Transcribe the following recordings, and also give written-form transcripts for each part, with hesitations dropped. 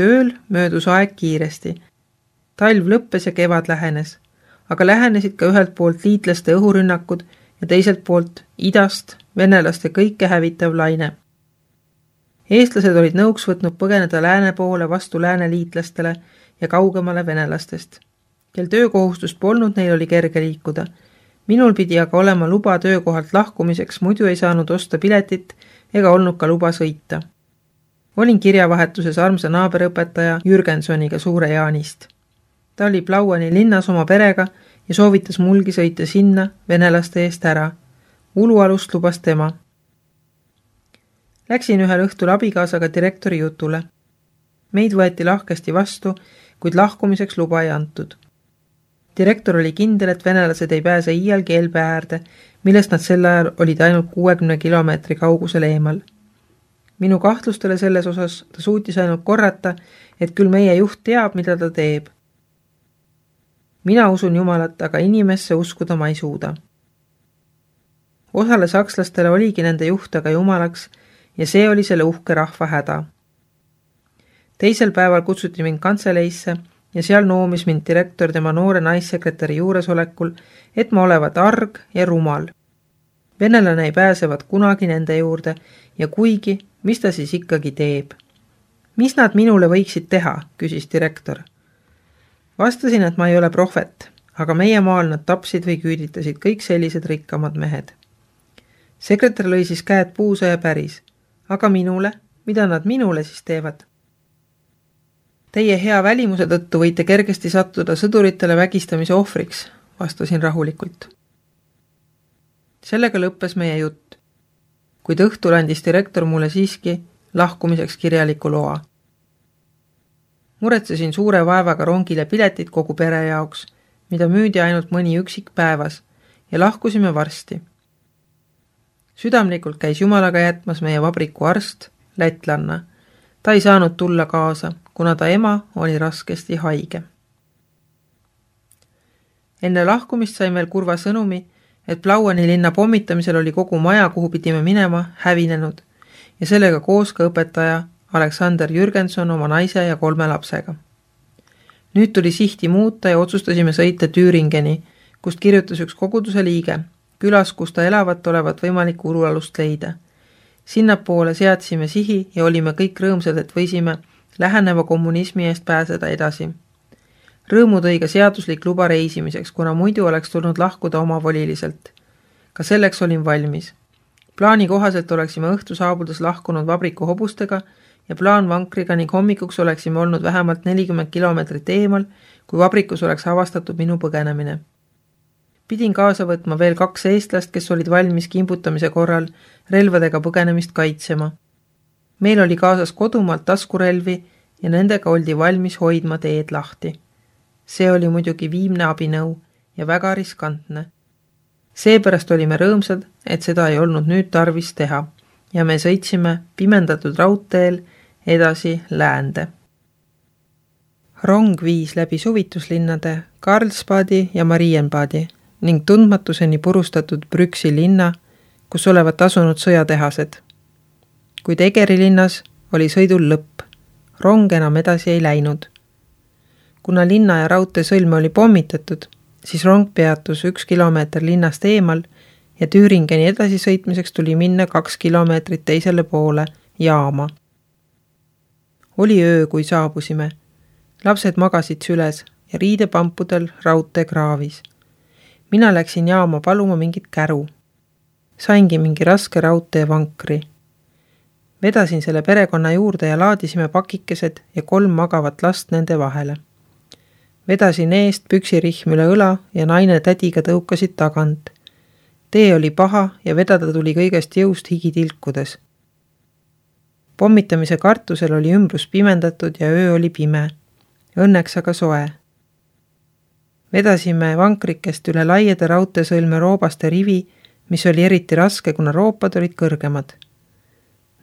tööl möödus aeg kiiresti. Talv lõppes ja kevad lähenes, aga lähenesid ka ühelt poolt liitlaste õhurünnakud ja teiselt poolt idast venelaste kõike hävitav laine. Eestlased olid nõuks võtnud põgeneda lääne poole vastu lääneliitlastele ja kaugemale venelastest. Kel töökohustust polnud, neil oli kerge liikuda. Minul pidi aga olema luba töökohalt lahkumiseks, muidu ei saanud osta piletit ega olnud ka luba sõita. Olin kirjavahetuses armsa naaberõpetaja Jürgensoniga Suure Jaanist. Ta oli Plauani linnas oma perega ja soovitas mulgi sõita sinna venelaste eest ära. Ulualust lubas tema. Läksin ühel õhtul abikaasaga direktori jutule. Meid võeti lahkesti vastu, kuid lahkumiseks luba ei antud. Direktor oli kindel, et venelased ei pääse iialgi Elbe äärde, millest nad sel ajal olid ainult 60 kilomeetri kaugusel eemal. Minu kahtlustele selles osas ta suutis ainult korrata, et küll meie juht teab, mida ta teeb. Mina usun Jumalat, aga inimesse uskuda ma ei suuda. Osale sakslastele oligi nende juht aga Jumalaks ja see oli selle uhke rahva häda. Teisel päeval kutsuti mind kantseleisse ja seal noomis mind direktor tema noore naissekretäri juuresolekul, et ma olevat arg ja rumal. Venelane ei pääsevat kunagi nende juurde ja kuigi, mis ta siis ikkagi teeb? Mis nad minule võiksid teha, küsis direktor. Vastasin, et ma ei ole prohvet, aga meie maal nad tapsid või küüditasid kõik sellised rikkamad mehed. Sekretär lõi siis käed puusa ja päris. Aga minule? Mida nad minule siis teevad? Teie hea välimuse tõttu võite kergesti sattuda sõduritele vägistamise ohvriks, vastasin rahulikult. Sellega lõppes meie jutt, kuid õhtul andis direktor mulle siiski lahkumiseks kirjaliku loa. Muretsesin suure vaevaga rongile piletid kogu pere jaoks, mida müüdi ainult mõni üksik päevas ja lahkusime varsti. Südamlikult käis Jumalaga jätmas meie vabriku arst, lätlanna. Ta ei saanud tulla kaasa, kuna ta ema oli raskesti haige. Enne lahkumist sain veel kurva sõnumi, et Plauani linna pommitamisel oli kogu maja, kuhu pidime minema, hävinenud ja sellega koos ka õpetaja Aleksander Jürgenson oma naise ja 3 lapsega. Nüüd tuli sihti muuta ja otsustasime sõita Tüüringeni, kust kirjutas üks koguduse liige, külas, kus ta elavat olevat võimalik ulualust leida. Sinnapoole seadsime sihi ja olime kõik rõõmsad, et võisime läheneva kommunismi eest pääseda edasi. Rõõmu tõi ka seaduslik luba reisimiseks, kuna muidu oleks tulnud lahkuda omavoliliselt. Ka selleks olin valmis. Plaani kohaselt oleksime õhtu saabudes lahkunud vabriku hobustega ja plaanvankriga ning hommikuks oleksime olnud vähemalt 40 kilomeetrit eemal, kui vabrikus oleks avastatud minu põgenemine. Pidin kaasa võtma veel 2 eestlast, kes olid valmis kimbutamise korral relvadega põgenemist kaitsema. Meil oli kaasas kodumaalt taskurelvi ja nendega oldi valmis hoidma teed lahti. See oli muidugi viimne abinõu ja väga riskantne. Seepärast olime rõõmsad, et seda ei olnud nüüd tarvis teha ja me sõitsime pimendatud raudteel edasi läände. Rong viis läbi suvituslinnade Karlsbadi ja Marienbadi ning tundmatuseni purustatud Brüksi linna, kus olevat asunud sõjatehased. Kuid Egeri linnas oli sõidul lõpp. Rong enam edasi ei läinud. Kuna linna ja raudtee sõlme oli pommitatud, siis rong peatus 1 kilomeeter linnast eemal ja Tüüringeni edasi sõitmiseks tuli minna 2 kilomeetrit teisele poole jaama. Oli öö, kui saabusime. Lapsed magasid süles ja riidepampudel raudtee kraavis. Mina läksin jaama paluma mingit käru. Saingi mingi raske raudteevankri. Vedasin selle perekonna juurde ja laadisime pakikesed ja 3 magavat last nende vahele. Vedasin eest püksirihm üle õla ja naine tädiga tõukasid tagant. Tee oli paha ja vedada tuli kõigest jõust higitilkudes. Pommitamise kartusel oli ümbrus pimendatud ja öö oli pime. Õnneks aga soe. Vedasime vankrikest üle laiede raudteesõlme roobaste rivi, mis oli eriti raske, kuna roopad olid kõrgemad.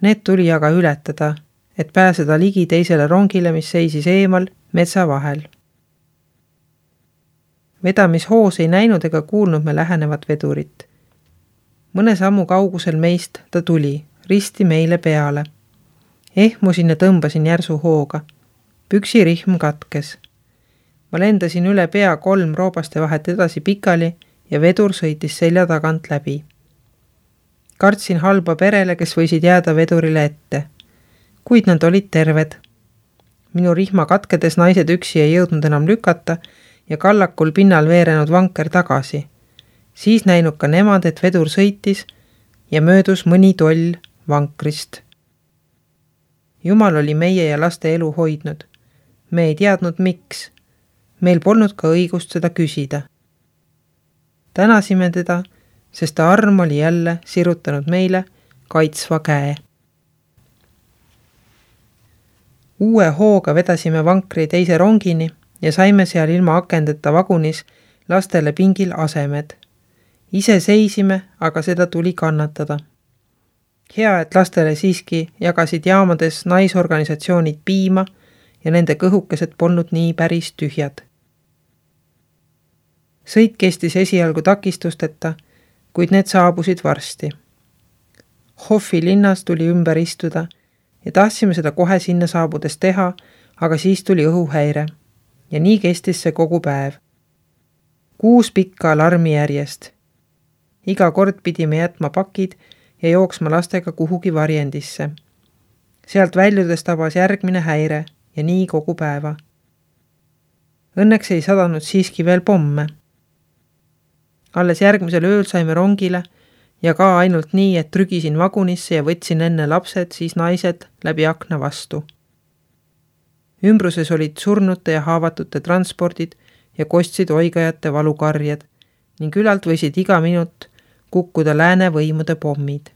Need tuli aga ületada, et pääseda ligi teisele rongile, mis seisis eemal metsa vahel. Vedamishoos ei näinud ega kuulnud me lähenevat vedurit. Mõne sammu kaugusel meist ta tuli, risti meile peale. Ehmusin ja tõmbasin järsu hooga. Püksirihm katkes. Ma lendasin üle pea 3 roobaste vahet edasi pikali ja vedur sõitis selja tagant läbi. Kartsin halba perele, kes võisid jääda vedurile ette. Kuid nad olid terved. Minu rihma katkedes naised üksi ei jõudnud enam lükata ja kallakul pinnal veerenud vanker tagasi. Siis näinud ka nemad, et vedur sõitis ja möödus mõni toll vankrist. Jumal oli meie ja laste elu hoidnud. Me ei teadnud miks. Meil polnud ka õigust seda küsida. Tänasime teda, sest ta arm oli jälle sirutanud meile kaitsva käe. Uue hooga vedasime vankri teise rongini ja saime seal ilma akendeta vagunis lastele pingil asemed. Ise seisime, aga seda tuli kannatada. Hea, et lastele siiski jagasid jaamades naisorganisatsioonid piima ja nende kõhukesed polnud nii päris tühjad. Sõit kestis esialgu takistusteta, kuid need saabusid varsti. Hoffi linnas tuli ümber istuda ja tahtsime seda kohe sinna saabudes teha, aga siis tuli õhuhäire ja nii kestis see kogu päev. 6 pikka alarmi järjest. Iga kord pidime jätma pakid ja jooksma lastega kuhugi varjendisse. Sealt väljudes tabas järgmine häire ja nii kogu päeva. Õnneks ei sadanud siiski veel pomme. Alles järgmisel ööl saime rongile ja ka ainult nii, et trügisin vagunisse ja võtsin enne lapsed, siis naised läbi akna vastu. Ümbruses olid surnute ja haavatute transpordid ja kostsid oigajate valukarjed ning ülalt võisid iga minut kukkuda lääne võimude pommid.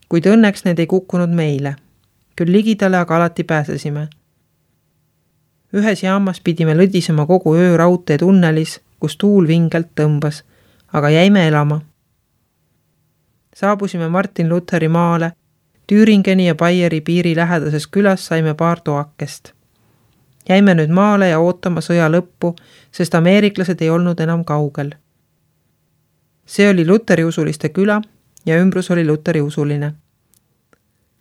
Kuid õnneks need ei kukkunud meile. Küll ligidale aga alati pääsesime. Ühes jaamas pidime lõdisema kogu öö raudtee tunnelis, kus tuul vingelt tõmbas, aga jäime elama. Saabusime Martin Lutheri maale, Tüüringeni ja Baieri piiri lähedases külas saime paar toakest. Jäime nüüd maale ja ootama sõja lõppu, sest ameeriklased ei olnud enam kaugel. See oli luteriusuliste küla ja ümbrus oli luteriusuline.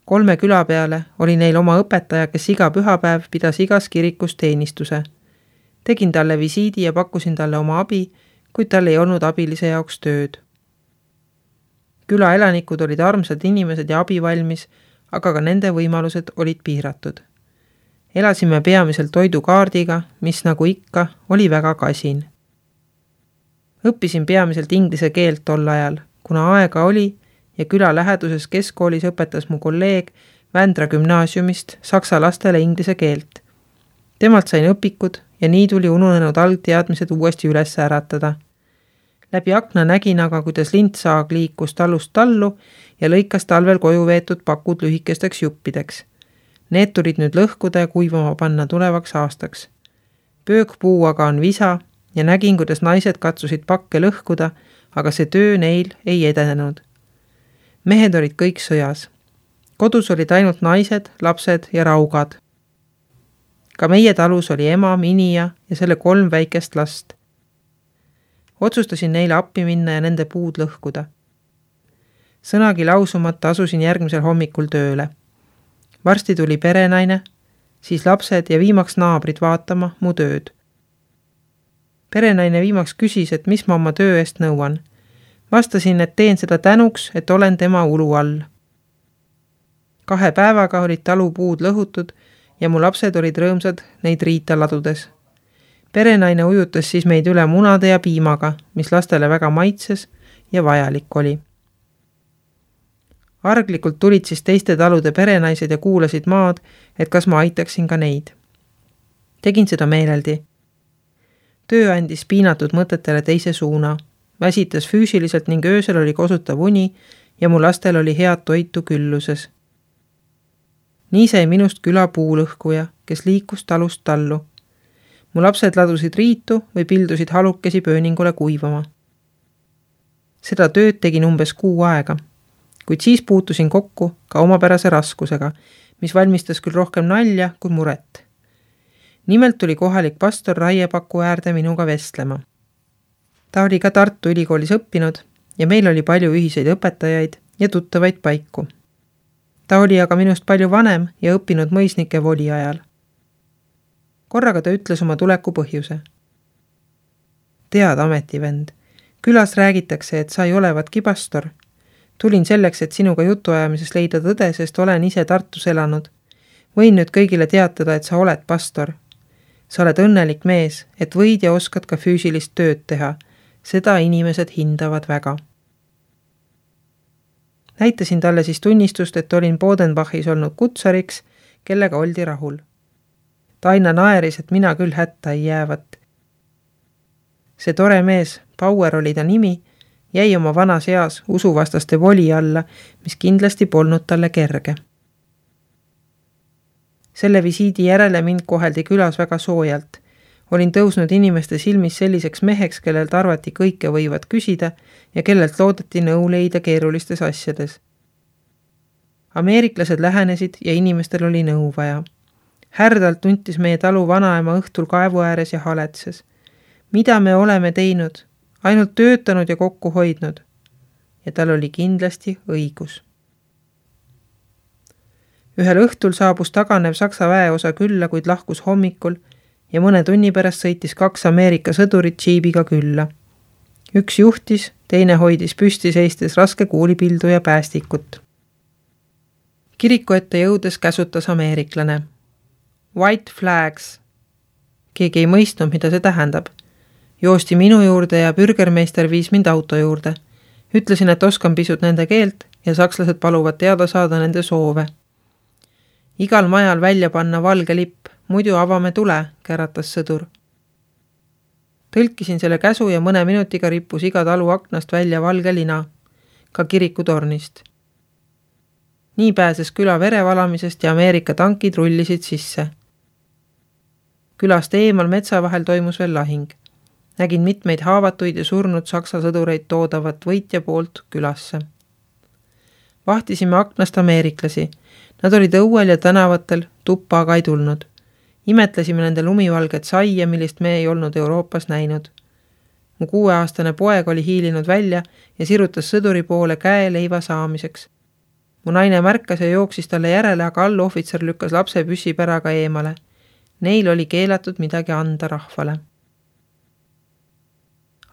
3 küla peale oli neil oma õpetaja, kes iga pühapäev pidas igas kirikus teenistuse. Tegin talle visiidi ja pakkusin talle oma abi, kuid tal ei olnud abilise jaoks tööd. Küla elanikud olid armsad inimesed ja abivalmis, aga ka nende võimalused olid piiratud. Elasime peamiselt toidukaardiga, mis nagu ikka oli väga kasin. Õppisin peamiselt inglise keelt tol ajal, kuna aega oli ja küla läheduses keskkoolis õpetas mu kolleeg Vändra gümnaasiumist saksa lastele inglise keelt. Temalt sain õpikud ja nii tuli ununenud algteadmised uuesti üles äratada. Läbi akna nägin aga, kuidas lintsaag liikus talust tallu ja lõikas talvel koju veetud pakud lühikesteks juppideks. Need tulid nüüd lõhkuda ja kuivama panna tulevaks aastaks. Pöökpuu aga on visa ja nägin, kuidas naised katsusid pakke lõhkuda, aga see töö neil ei edenenud. Mehed olid kõik sõjas. Kodus olid ainult naised, lapsed ja raugad. Ka meie talus oli ema, Minija ja selle 3 väikest last. Otsustasin neile appi minna ja nende puud lõhkuda. Sõnagi lausumata asusin järgmisel hommikul tööle. Varsti tuli perenaine, siis lapsed ja viimaks naabrid vaatama mu tööd. Perenaine viimaks küsis, et mis ma oma töö eest nõuan. Vastasin, et teen seda tänuks, et olen tema ulu all. 2 päevaga olid talupuud lõhutud ja mu lapsed olid rõõmsad neid riita ladudes. Perenaine ujutas siis meid üle munade ja piimaga, mis lastele väga maitses ja vajalik oli. Arglikult tulid siis teiste talude perenaised ja kuulasid maad, et kas ma aitaksin ka neid. Tegin seda meeleldi. Töö andis piinatud mõtetele teise suuna. Väsitas füüsiliselt ning öösel oli kosutav uni ja mu lastel oli head toitu külluses. Nii sai minust küla puulõhkuja, kes liikus talust tallu. Mu lapsed ladusid riitu või pildusid halukesi pööningule kuivama. Seda tööd tegin umbes 6 aega, kuid siis puutusin kokku ka omapärase raskusega, mis valmistas küll rohkem nalja kui muret. Nimelt tuli kohalik pastor raiepaku äärde minuga vestlema. Ta oli ka Tartu Ülikoolis õppinud ja meil oli palju ühiseid õpetajaid ja tuttavaid paiku. Ta oli aga minust palju vanem ja õppinud mõisnike voli ajal. Korraga ta ütles oma tuleku põhjuse. Tead, ametivend, külas räägitakse, et sa ei olevatki pastor. Tulin selleks, et sinuga jutuajamises leida tõde, sest olen ise Tartus elanud. Võin nüüd kõigile teatada, et sa oled pastor. Sa oled õnnelik mees, et võid ja oskad ka füüsilist tööd teha. Seda inimesed hindavad väga. Näitasin talle siis tunnistust, et olin Bodenbachis olnud kutsariks, kellega oldi rahul. Ta aina naeris, et mina küll hätta ei jäävat. See tore mees, Bauer oli ta nimi, jäi oma vanas eas usuvastaste voli alla, mis kindlasti polnud talle kerge. Selle visiidi järele mind koheldi külas väga soojalt. Olin tõusnud inimeste silmis selliseks meheks, kellelt arvati kõike võivad küsida ja kellelt loodeti nõu leida keerulistes asjades. Ameeriklased lähenesid ja inimestel oli nõu vaja. Härdalt tuntis meie talu vanaema õhtul kaevu ääres ja haletses. Mida me oleme teinud? Ainult töötanud ja kokku hoidnud. Ja tal oli kindlasti õigus. Ühel õhtul saabus taganev Saksa väeosa külla, kuid lahkus hommikul ja mõne tunni pärast sõitis 2 Ameerika sõdurit džiibiga külla. Üks juhtis, teine hoidis püsti seistes raske kuulipildu ja päästikut. Kiriku ette jõudes käsutas ameeriklane. White flags. Keegi ei mõistnud, mida see tähendab. Joosti minu juurde ja bürgermeister viis mind auto juurde. Ütlesin, et oskan pisut nende keelt ja sakslased paluvad teada saada nende soove. Igal majal välja panna valge lipp, muidu avame tule, käratas sõdur. Tõlkisin selle käsu ja mõne minutiga rippus iga talu aknast välja valge lina, ka kirikutornist. Nii pääses küla verevalamisest ja Ameerika tankid rullisid sisse. Külast eemal metsa vahel toimus veel lahing. Nägin mitmeid haavatuid ja surnud saksa sõdureid toodavat võitja poolt külasse. Vahtisime aknast ameeriklasi. Nad olid õuel ja tänavatel, tuppa aga ei tulnud. Imetlesime nende lumivalget saia, millist me ei olnud Euroopas näinud. Mu 6-aastane poeg oli hiilinud välja ja sirutas sõduri poole käe leiva saamiseks. Mu naine märkas ja jooksis talle järele, aga allohvitser lükkas lapse püssipäraga eemale. Neil oli keelatud midagi anda rahvale.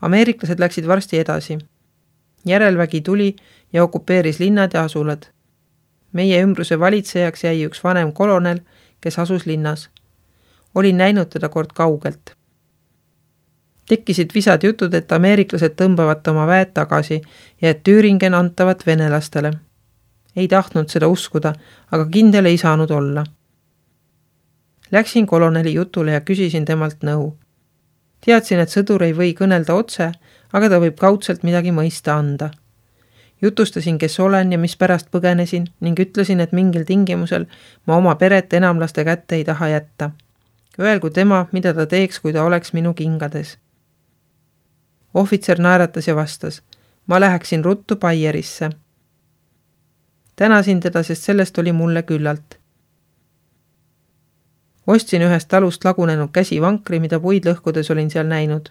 Ameeriklased läksid varsti edasi. Järelvägi tuli ja okupeeris linnad ja asulad. Meie ümbruse valitsejaks jäi üks vanem kolonel, kes asus linnas. Olin näinud teda kord kaugelt. Tekkisid visad jutud, et ameeriklased tõmbavad oma väed tagasi ja et Thüringen antavat venelastele. Ei tahtnud seda uskuda, aga kindel ei saanud olla. Läksin koloneli jutule ja küsisin temalt nõu. Teadsin, et sõdur ei või kõnelda otse, aga ta võib kaudselt midagi mõista anda. Jutustasin, kes olen ja mis pärast põgenesin ning ütlesin, et mingil tingimusel ma oma peret enamlaste kätte ei taha jätta. Öelgu tema, mida ta teeks, kui ta oleks minu kingades. Ohvitser naeratas ja vastas. Ma läheksin ruttu Bayerisse. Tänasin teda, sest sellest oli mulle küllalt. Ostsin ühest talust lagunenud käsivankri, mida puid lõhkudes olin seal näinud.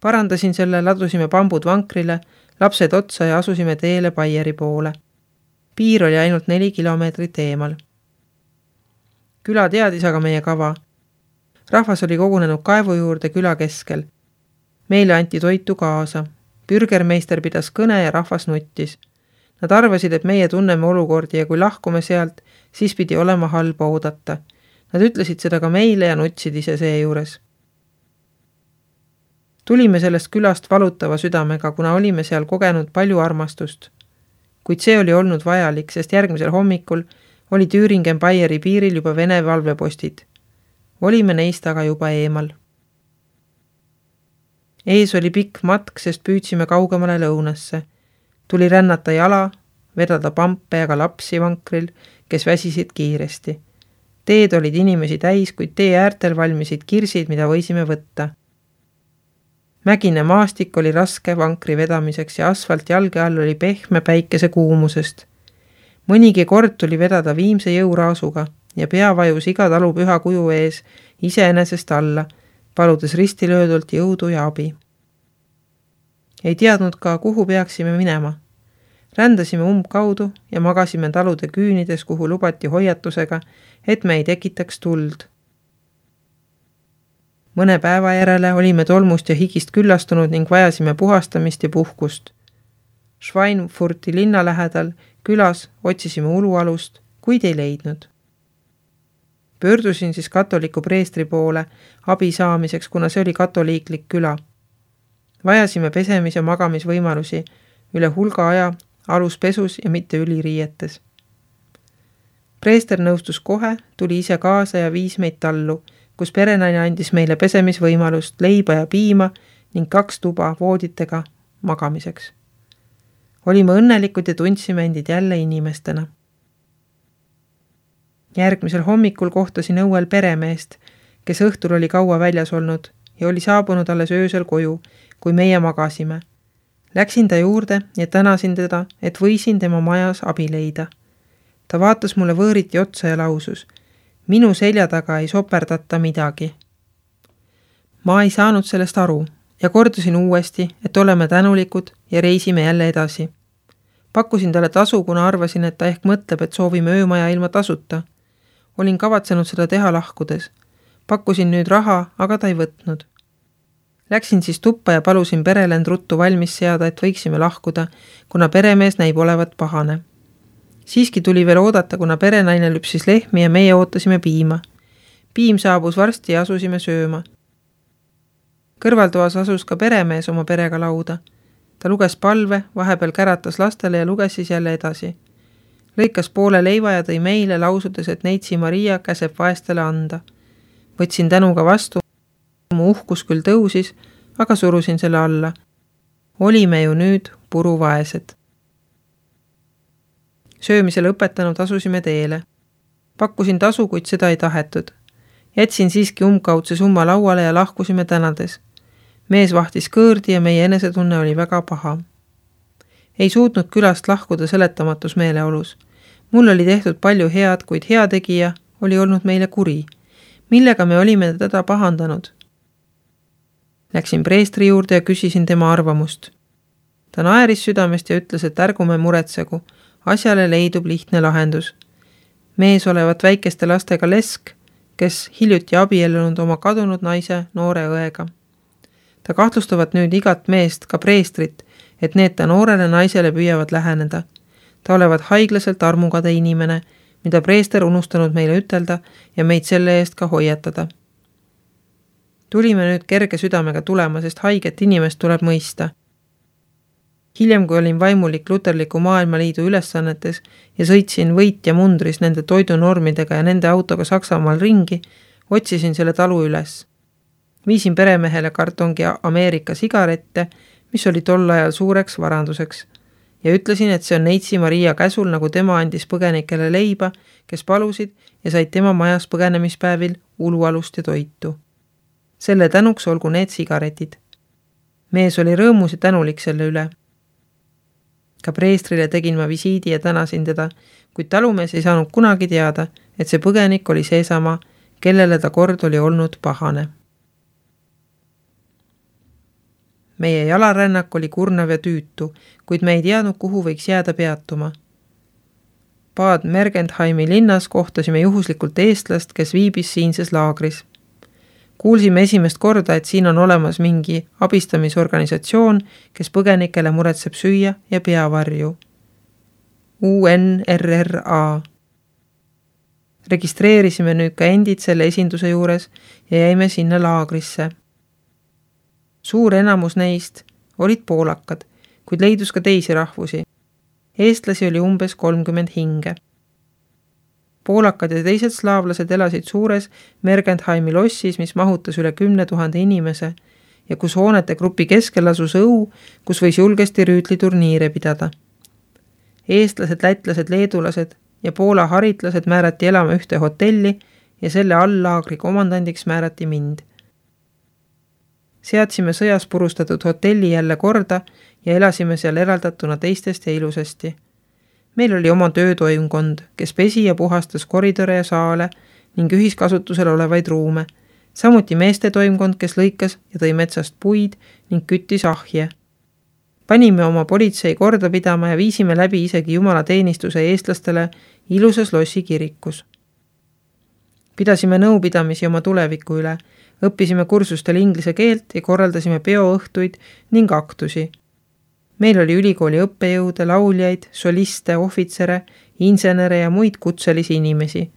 Parandasin selle, ladusime bambud vankrile, lapsed otsa ja asusime teele Bayeri poole. Piir oli ainult 4 kilomeetrit eemal. Küla teadis aga meie kava. Rahvas oli kogunenud kaevu juurde küla keskel. Meile anti toitu kaasa. Bürgermeister pidas kõne ja rahvas nuttis. Nad arvasid, et meie tunneme olukordi ja kui lahkume sealt, siis pidi olema halba oodata. Nad ütlesid seda ka meile ja nutsid ise seejuures. Tulime sellest külast valutava südamega, kuna olime seal kogenud palju armastust. Kuid see oli olnud vajalik, sest järgmisel hommikul oli Thüringen Bayeri piiril juba Vene valvepostid. Olime neist aga juba eemal. Ees oli pikk matk, sest püüdsime kaugemale lõunasse. Tuli rännata jala, vedada pampe ja ka lapsi vankril, kes väsisid kiiresti. Teed olid inimesi täis, kuid tee äärtel valmisid kirsid, mida võisime võtta. Mägine maastik oli raske vankri vedamiseks ja asfalt jalge all oli pehme päikese kuumusest. Mõnigi kord tuli vedada viimse jõuraasuga ja pea vajus iga talu püha kuju ees iseenesest alla, paludes ristilöödult jõudu ja abi. Ei teadnud ka, kuhu peaksime minema. Rändasime umbkaudu ja magasime talude küünides, kuhu lubati hoiatusega, et me ei tekitaks tuld. Mõne päeva järele olime tolmust ja higist küllastunud ning vajasime puhastamist ja puhkust. Schweinfurti linna lähedal külas otsisime ulualust, kuid ei leidnud. Pöördusin siis katoliku preestri poole abi saamiseks, kuna see oli katoliiklik küla. Vajasime pesemis- ja magamisvõimalusi üle hulga aja aluspesus ja mitte üliriietes. Preester nõustus kohe, tuli ise kaasa ja viis meid tallu, kus perenaine andis meile pesemisvõimalust, leiba ja piima ning 2 tuba vooditega magamiseks. Olime õnnelikud ja tundsime endid jälle inimestena. Järgmisel hommikul kohtasin õuel peremeest, kes õhtul oli kaua väljas olnud ja oli saabunud alles öösel koju, kui meie magasime. Läksin ta juurde ja tänasin teda, et võisin tema majas abi leida. Ta vaatas mulle võõriti otsa ja lausus, minu selja taga ei soperdata midagi. Ma ei saanud sellest aru ja kordasin uuesti, et oleme tänulikud ja reisime jälle edasi. Pakkusin talle tasu, kuna arvasin, et ta ehk mõtleb, et soovime öömaja ilma tasuta. Olin kavatsenud seda teha lahkudes. Pakkusin nüüd raha, aga ta ei võtnud. Läksin siis tuppa ja palusin perele end ruttu valmis seada, et võiksime lahkuda, kuna peremees näib olevat pahane. Siiski tuli veel oodata, kuna perenaine lüpsis lehmi ja meie ootasime piima. Piim saabus varsti ja asusime sööma. Kõrvaltoas asus ka peremees oma perega lauda. Ta luges palve, vahepeal käratas lastele ja luges siis jälle edasi. Lõikas poole leiva ja tõi meile lausudes, et neitsi Maria käseb vaestele anda. Võtsin tänuga vastu, mu uhkus küll tõusis, aga surusin selle alla. Olime ju nüüd puruvaesed. Söömise lõpetanud asusime teele. Pakkusin tasu, kuid seda ei tahetud. Jätsin siiski umbkaudse summa lauale ja lahkusime tänades. Mees vahtis kõõrdi ja meie enesetunne oli väga paha. Ei suutnud külast lahkuda seletamatus meeleolus. Mul oli tehtud palju head, kuid heategija oli olnud meile kuri. Millega me olime teda pahandanud? Läksin preestri juurde ja küsisin tema arvamust. Ta naeris südamest ja ütles, et ärgume muretsegu. Asjale leidub lihtne lahendus. Mees olevat väikeste lastega lesk, kes hiljuti abiellunud oma kadunud naise noore õega. Ta kahtlustavad nüüd igat meest, ka preestrit, et need ta noorele naisele püüavad läheneda. Ta olevat haiglaselt armukade inimene, mida preester unustanud meile ütelda ja meid selle eest ka hoiatada. Tulime nüüd kerge südamega tulema, sest haiget inimest tuleb mõista. Hiljem, kui olin vaimulik Luterliku Maailmaliidu ülesannetes ja sõitsin võitja mundris nende toidunormidega ja nende autoga Saksamaal ringi, otsisin selle talu üles. Viisin peremehele kartongi Ameerika sigarette, mis oli tol ajal suureks varanduseks, ja ütlesin, et see on neitsi Maria käsul, nagu tema andis põgenikele leiba, kes palusid ja said tema majas põgenemispäevil ulualust ja toitu. Selle tänuks olgu need sigaretid. Mees oli rõõmus ja tänulik selle üle. Ka preestrile tegin ma visiidi ja tänasin teda, kuid talumees ei saanud kunagi teada, et see põgenik oli seesama, kellele ta kord oli olnud pahane. Meie jalarännak oli kurnav ja tüütu, kuid me ei teadnud, kuhu võiks jääda peatuma. Bad Mergentheimi linnas kohtasime juhuslikult eestlast, kes viibis siinses laagris. Kuulsime esimest korda, et siin on olemas mingi abistamisorganisatsioon, kes põgenikele muretseb süüa ja peavarju. UNRRA. Registreerisime nüüd ka endid selle esinduse juures ja jäime sinna laagrisse. Suur enamus neist olid poolakad, kuid leidus ka teisi rahvusi. Eestlasi oli umbes 30 hinge. Poolakad ja teised slaavlased elasid suures Mergentheimi lossis, mis mahutas üle 10 000 inimese ja kus hoonete grupi keskel asus õu, kus võis julgesti rüütliturniire pidada. Eestlased, lätlased, leedulased ja Poola haritlased määrati elama ühte hotelli ja selle all-laagri komandandiks määrati mind. Seadsime sõjas purustatud hotelli jälle korda ja elasime seal eraldatuna teistest ja ilusasti. Meil oli oma töötoimkond, kes pesi ja puhastas koridore ja saale ning ühiskasutusel olevaid ruume. Samuti meeste toimkond, kes lõikas ja tõi metsast puid ning küttis ahje. Panime oma politsei korda pidama ja viisime läbi isegi jumalateenistuse eestlastele ilusas lossi kirikus. Pidasime nõupidamisi oma tuleviku üle, õppisime kursustel inglise keelt ja korraldasime peoõhtuid ning aktusi. Meil oli ülikooli õppejõude, lauljaid, soliste, ohvitsere, insenere ja muid kutselisi inimesi.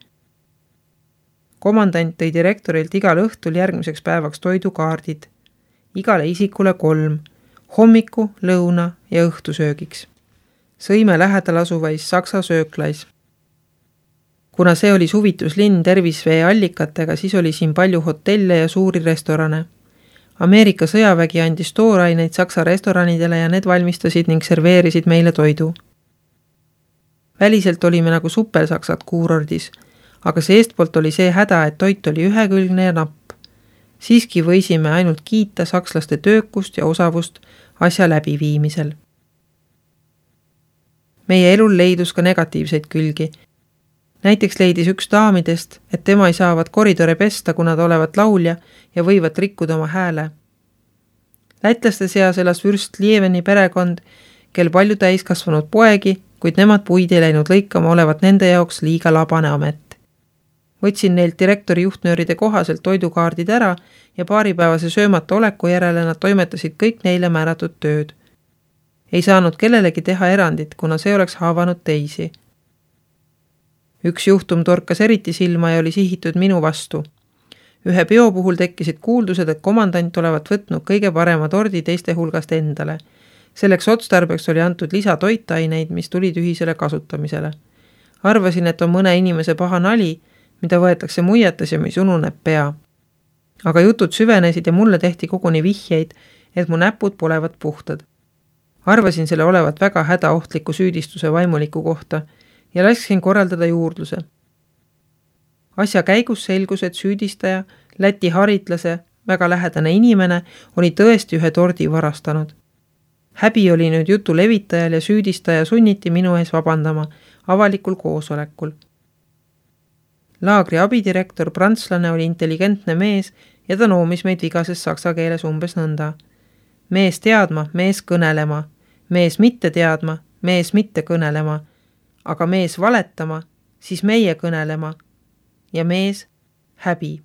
Komandant tõi direktorilt igal õhtul järgmiseks päevaks toidukaardid. Igale isikule 3, hommiku, lõuna ja õhtusöögiks. Sõime lähedal asuvais Saksa sööklais. Kuna see oli suvituslinn tervisvee allikatega, siis oli siin palju hotelle ja suuri restorane. Ameerika sõjavägi andis tooraineid Saksa restoranidele ja need valmistasid ning serveerisid meile toidu. Väliselt olime nagu supersaksad kuurordis, aga seestpoolt oli see häda, et toit oli ühekülgne ja napp. Siiski võisime ainult kiita sakslaste töökust ja osavust asja läbiviimisel. Meie elul leidus ka negatiivseid külgi. Näiteks leidis üks daamidest, et tema ei saavat koridore pesta, kuna ta olevat laulja ja võivat rikkuda oma hääle. Lätlaste seas elas vürst Lieveni perekond, kel palju täiskasvanud poegi, kuid nemad puid ei läinud lõikama, olevat nende jaoks liiga labane amet. Võtsin neilt direktori juhtnööride kohaselt toidukaardid ära ja paaripäevase söömata oleku järele nad toimetasid kõik neile määratud tööd. Ei saanud kellelegi teha erandit, kuna see oleks haavanud teisi. Üks juhtum torkas eriti silma ja oli sihitud minu vastu. Ühe peo puhul tekkisid kuuldused, et komandant olevat võtnud kõige parema tordi teiste hulgast endale. Selleks otstarbeks oli antud lisatoitaineid, mis tulid ühisele kasutamisele. Arvasin, et on mõne inimese paha nali, mida võetakse muiates ja mis ununeb pea. Aga jutud süvenesid ja mulle tehti koguni vihjeid, et mu näpud polevat puhtad. Arvasin selle olevat väga hädaohtliku süüdistuse vaimuliku kohta ja lasksin korraldada juurdluse. Asja käigus selgus, et süüdistaja, Läti haritlase, väga lähedane inimene, oli tõesti ühe tordi varastanud. Häbi oli nüüd jutu levitajal ja süüdistaja sunniti minu ees vabandama avalikul koosolekul. Laagri abidirektor, prantslane, oli intelligentne mees ja ta noomis meid vigases saksa keeles umbes nõnda. Mees teadma, mees kõnelema, mees mitte teadma, mees mitte kõnelema, aga mees valetama, siis meie kõnelema ja mees häbi.